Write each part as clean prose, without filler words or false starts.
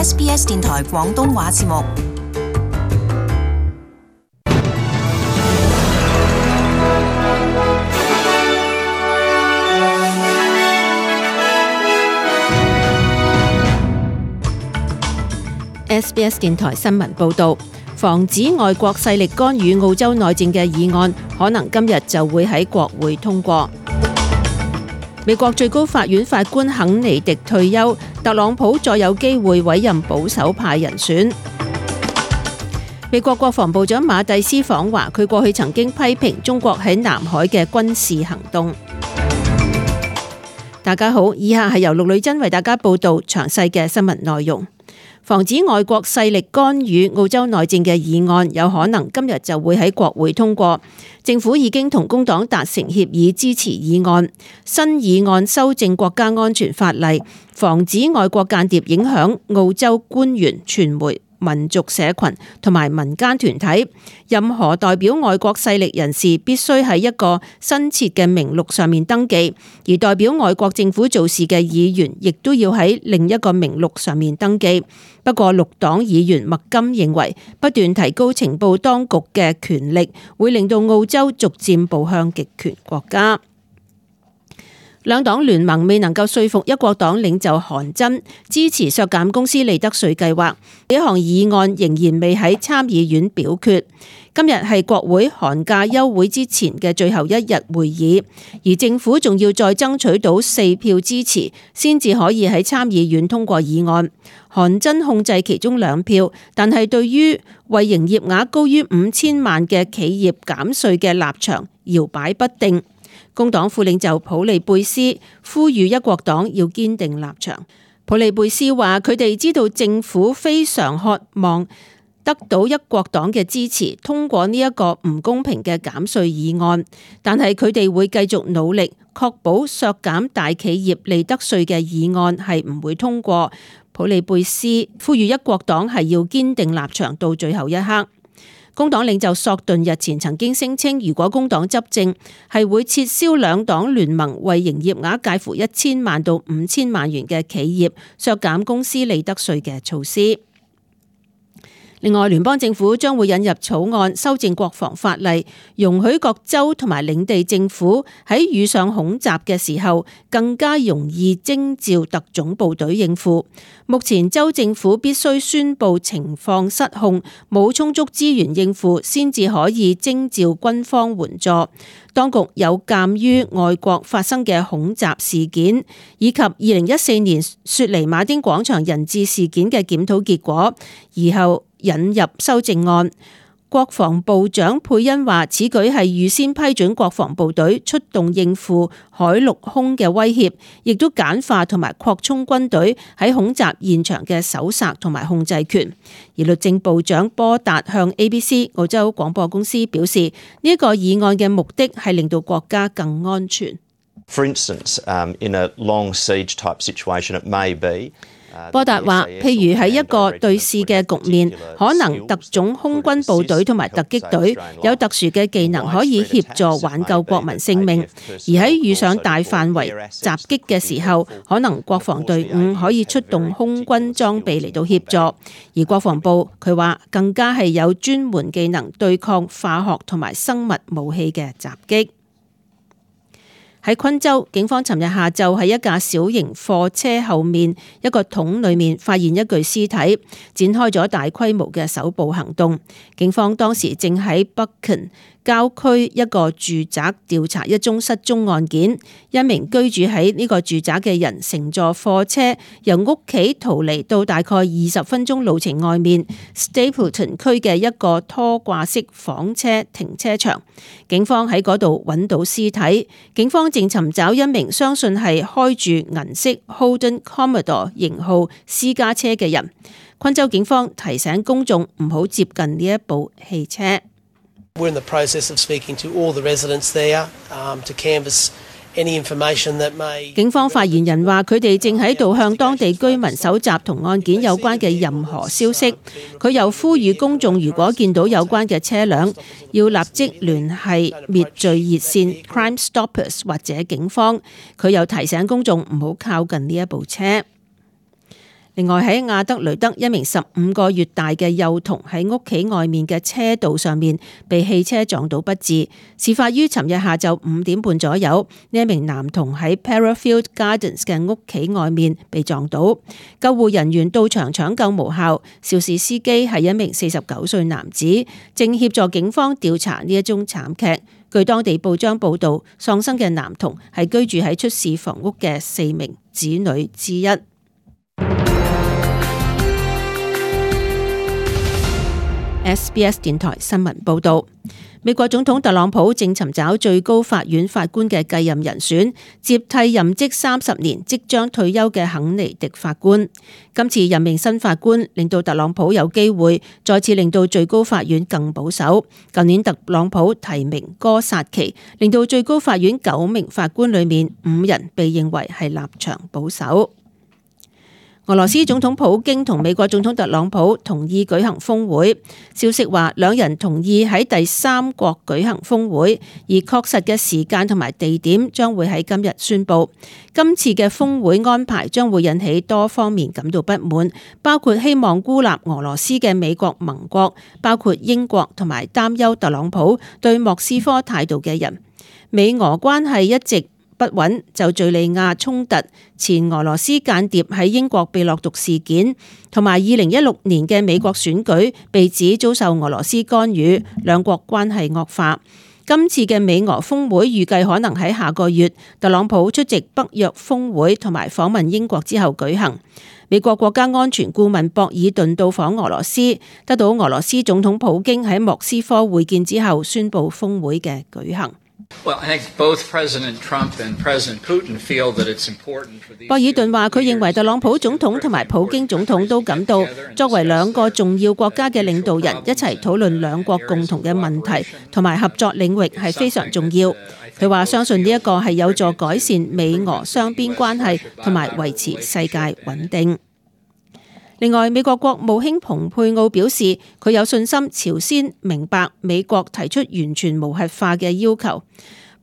SBS 電台廣東話節目。SBS 電台新聞報導，防止外國勢力干預澳洲內戰嘅議案，可能今日就會喺國會通過。美國最高法院法官肯尼迪退休，特朗普再有機會委任保守派人選。美國國防部長馬蒂斯訪華，佢過去曾經批評中國喺南海嘅軍事行動。大家好，以下係由陸女珍為大家報道詳細嘅新聞內容。防止外國勢力干預澳洲內戰嘅議案有可能今日就會喺國會通過。政府已經同工黨達成協議支持議案。新議案修正國家安全法例，防止外國間諜影響澳洲官員、傳媒、民族社群同埋民間團體。任何代表外國勢力人士必須喺一個新設嘅名錄上面登記，而代表外國政府做事嘅議員亦都要喺另一個名錄上面登記。不過綠黨議員麥金認為，不斷提高情報當局嘅權力，會令到澳洲逐漸步向極權國家。兩黨聯盟未能夠說服一國黨領袖韓真支持削減公司利得稅計劃，呢項議案仍然未喺參議院表決。今日係國會寒假休會之前嘅最後一日會議，而政府仲要再爭取到4票支持，先至可以喺參議院通過議案。韓真控制其中2票，但係對於為營業額高於5000萬嘅企業減稅嘅立場搖擺不定。工黨副領袖普利貝斯呼籲一國黨要堅定立場。普利貝斯話：佢哋知道政府非常渴望得到一國黨嘅支持，通過呢一個唔公平嘅減稅議案，但係佢哋會繼續努力，確保削減大企業利得稅嘅議案係唔會通過。普利貝斯呼籲一國黨係要堅定立場到最後一刻。工黨領袖索頓日前曾經聲稱，如果工黨執政，係會撤銷兩黨聯盟為營業額介乎1000萬到5000萬元嘅企業削減公司利得稅嘅措施。另外，聯邦政府將會引入草案修正國防法例，容許各州同埋領地政府喺遇上恐襲嘅時候更加容易徵召特種部隊應付。目前州政府必須宣布情況失控，冇充足資源應付，先至可以徵召軍方援助。當局有鑑於外國發生嘅恐襲事件，以及2014年雪梨馬丁廣場人質事件嘅檢討結果，而後引入修正案。國防部長佩恩話：此舉係預先批准國防部隊出動應付海陸空嘅威脅，亦都簡化同埋擴充軍隊喺恐襲現場嘅搜查同埋控制權。而律政部長波達向 ABC 澳洲廣播公司表示，呢一個議案嘅目的係令到國家更安全。For instance, in a long siege type situation, it may be。波達話，譬如喺一個對峙嘅局面，可能特種空軍部隊同埋突擊隊有特殊嘅技能可以協助挽救國民性命，而喺遇上大範圍襲擊嘅時候，可能國防隊伍可以出動空軍裝備嚟到協助。而國防部佢話更加係有專門技能對抗化學同埋生物武器嘅襲擊。喺昆州，警方尋日下晝喺一架小型貨車後面一個桶裏面發現一具屍體，展開咗大規模嘅搜捕行動。警方當時正喺北肯郊區一個住宅調查一宗失蹤案件，一名居住喺呢個住宅嘅人乘坐貨車由屋企逃離到大概20分鐘路程外面 Stapleton 區嘅一個拖掛式房車停車場。警方喺嗰度揾到屍體，警方正尋找一名相信係開住銀色 Holden Commodore 型號私家車嘅人。昆州警方提醒公眾唔好接近呢一部汽車。We're in the process of speaking to all the residents there to canvass any information that may。警方發言人話：佢哋正喺度向當地居民搜集同案件有關嘅任何消息。佢又呼籲公眾，如果見到有關嘅車輛，要立即聯繫滅罪熱線 Crime Stoppers 或者警方。佢又提醒公眾唔好靠近呢一部車。另外喺亞德雷德，一名15個月大嘅幼童喺屋企外面嘅車道上面被汽車撞到不治。事發於尋日下晝5點半左右，呢一名男童喺 Parafield Gardens 嘅屋企外面被撞到，救護人員到場搶救無效。肇事司機係一名49歲男子，正協助警方調查呢一宗慘劇。據當地報章報道，喪生嘅男童係居住喺出事房屋嘅4名子女之一。SBS 電台新聞報道，美國總統特朗普正尋找最高法院法官嘅繼任人選，接替任職30年即將退休嘅肯尼迪法官。今次任命新法官，令到特朗普有機會再次令到最高法院更保守。舊年特朗普提名哥薩奇，令到最高法院9名法官裏面5人被認為係立場保守。俄羅斯總統普京同美國總統特朗普同意舉行峰會，消息話兩人同意喺第三國舉行峰會，而確實嘅時間同埋地點將會喺今日宣布。今次嘅峰會安排將會引起多方面感到不滿，包括希望孤立俄羅斯嘅美國盟國，包括英國同埋擔憂特朗普對莫斯科態度嘅人。美俄關係一直不穩，就敘利亞衝突、前俄羅斯間諜喺英國被落毒事件，同埋2016年嘅美國選舉被指遭受俄羅斯干預，兩國關係惡化。今次嘅美俄峰會預計可能喺下個月特朗普出席北約峰會同埋訪問英國之後舉行。美國國家安全顧問博爾頓到訪俄羅斯，得到俄羅斯總統普京喺莫斯科會見之後，宣布峰會嘅舉行。博爾頓話：佢認為特朗普總統同埋普京總統都感到，作為兩個重要國家嘅領導人，一齊討論兩國共同嘅問題同埋合作領域係非常重要。佢話相信呢一個係有助改善美俄雙邊關係同埋維持世界穩定。另外，美國國務卿蓬佩奧表示，佢有信心朝鮮明白美國提出完全無核化嘅要求。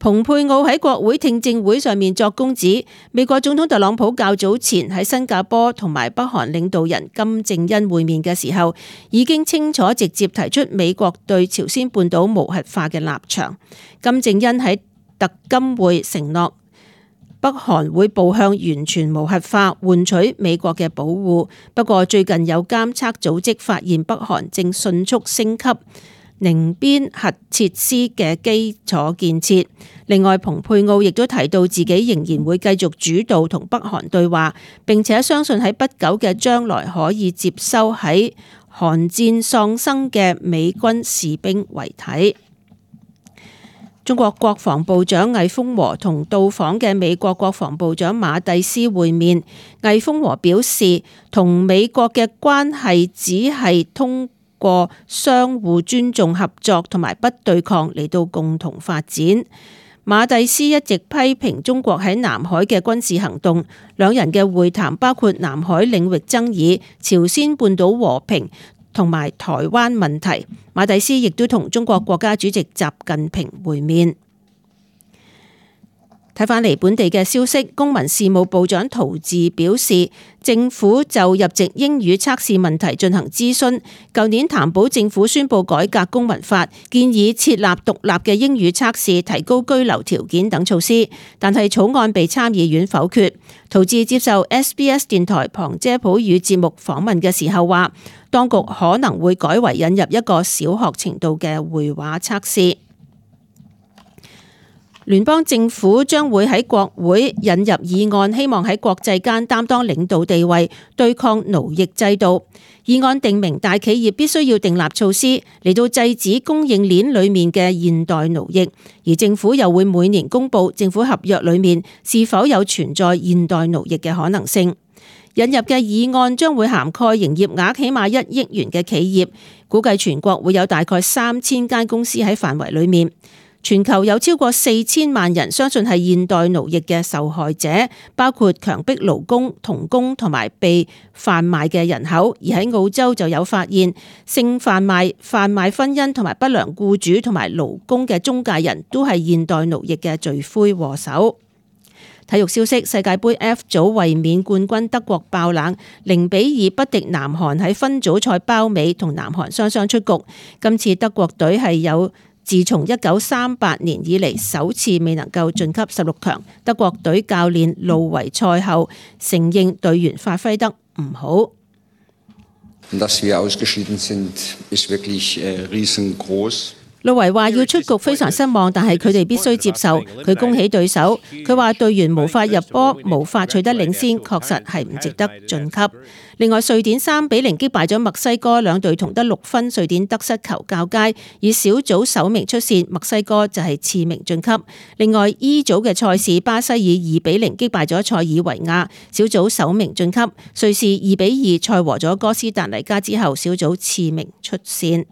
蓬佩奧喺國會聽證會上面作供指，美國總統特朗普較早前喺新加坡同埋北韓領導人金正恩會面嘅時候，已經清楚直接提出美國對朝鮮半島無核化嘅立場。金正恩喺特金會承諾北韓會步向完全無核化，換取美國嘅保護。不過最近有監測組織發現北韓正迅速升級寧邊核設施嘅基礎建設。另外，蓬佩奧亦都提到自己仍然會繼續主導同北韓對話，並且相信喺不久嘅將來可以接收喺韓戰喪生嘅美軍士兵遺體。中國國防部長魏鳳和同到訪嘅美國國防部長馬蒂斯會面。魏鳳和表示，同美國嘅關係只係通過相互尊重、合作同埋不對抗嚟到共同發展。馬蒂斯一直批評中國喺南海嘅軍事行動，兩人嘅會談包括南海領域爭議、朝鮮半島和平同埋台灣問題。馬蒂斯亦都同中國國家主席習近平會面。睇返嚟本地嘅消息，公民事務部長陶治表示，政府就入籍英語測試問題進行諮詢。舊年談保政府宣布改革公民法，建議設立獨立嘅英語測試，提高居留條件等措施，但係草案被參議院否決。陶治接受 SBS 電台旁遮普語節目訪問嘅時候話，當局可能會改為引入一個小學程度嘅會話測試。聯邦政府將會喺國會引入議案，希望喺國際間擔當領導地位，對抗奴役制度。議案定明大企業必須要訂立措施嚟到制止供應鏈裡面嘅現代奴役，而政府又會每年公布政府合約裡面是否有存在現代奴役嘅可能性。引入嘅議案將會涵蓋營業額起碼1億元嘅企業，估計全國會有大概3000間公司喺範圍裡面。全球有超過4000萬人相信係現代奴役嘅受害者，包括強迫勞工、童工同埋被販賣嘅人口。而喺澳洲就有發現，性販賣、販賣婚姻同埋不良僱主同埋勞工嘅中介人都係現代奴役嘅罪魁禍首。體育消息：世界盃 F 組衛冕冠軍德國爆冷0-2不敵南韓，喺分組賽包尾同南韓雙雙出局。今次德國隊係有自從1938年以嚟首次未能夠晉級16強。德國隊教練路維賽後承認隊員發揮得唔好。路維話要出局非常失望，但係佢哋必須接受。佢恭喜對手，佢話隊員無法入波，無法取得領先，確實係唔值得晉級。另外，瑞典3-0擊敗咗墨西哥，兩隊同得6分，瑞典得失球較佳，以小組首名出線，墨西哥就係次名晉級。另外 E 組嘅賽事，巴西以2-0擊敗咗塞爾維亞，小組首名晉級。瑞士2-2賽和咗哥斯達黎加之後，小組次名出線。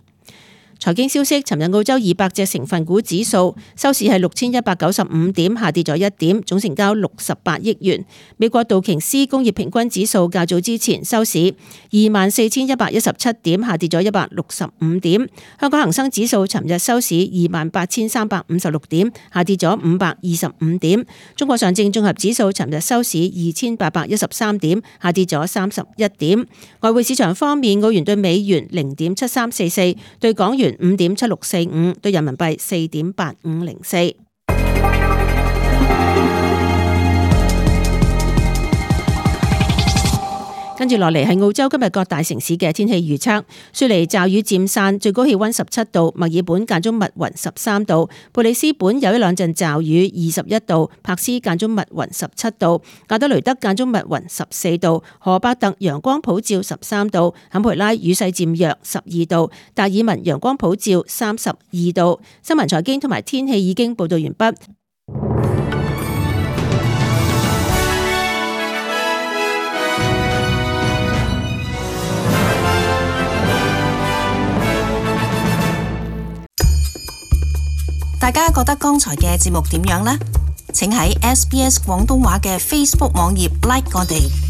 財經消息：尋日澳洲200隻成分股指數收市係6195點，下跌咗1點，總成交68億元。美國道瓊斯工業平均指數較早之前收市24,117點，下跌咗165點。香港恒生指數尋日收市28,356點，下跌咗525點。中國上證綜合指數尋日收市2813點，下跌咗31點。外匯市場方面，澳元對美元0.7344，對港元5.7645，對人民幣4.8504。跟住落嚟係澳洲今日各大城市嘅天氣預測。雪梨驟雨漸散，最高氣溫17度；墨爾本間中密雲13度；布里斯本有一兩陣驟雨21度；柏斯間中密雲17度；亞德雷德間中密雲14度；荷伯特陽光普照13度；坎培拉雨勢漸弱12度；達爾文陽光普照32度。新聞財經同埋天氣已經報道完畢。大家覺得剛才嘅節目點樣呢？請喺SBS 廣東話嘅 Facebook 網頁 like 我哋。